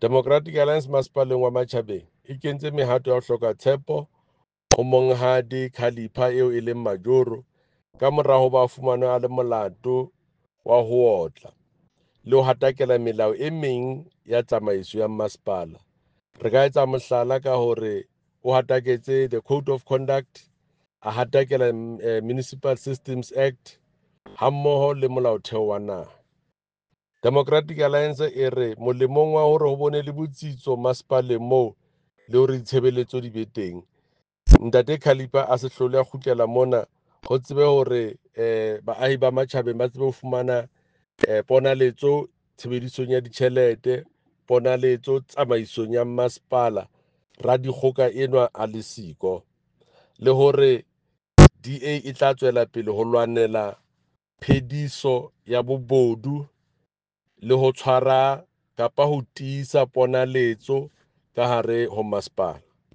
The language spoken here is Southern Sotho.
Democratic Alliance Masepaleng wa Matjhabeng e kentse mehato ya ho hloka tshepo ho Monghadi Khalipha eo e leng majoro ka mora hoba a fumanwe a le molato wa ho otla le ho hatakela melao e meng ya tsamaiso ya masepala. Re ka etsa mohlala ka hore o hataketse the Code of Conduct, a hatakela Municipal Systems Act hammoho le molaotheo wa naha. Democratic Alliance e re molemong wa hore ho bone le botsitso masepaleng moo le hore ditshebeletso di be teng, Ntate Khalipha a se hlole a kgutlela mona ho tsebe hore baahi ba Matjhabeng ba tsebe ho fumana ponaletso tshebedisong ya ditjhelete, ponaletso tsamaisong ya masepala, radikgoka enwa a le siko, le hore DA e tla tswela pele ho lwanela phediso ya bobodu le ho tshwara kapa ho tiisa ponaletso ka hare ho masepala.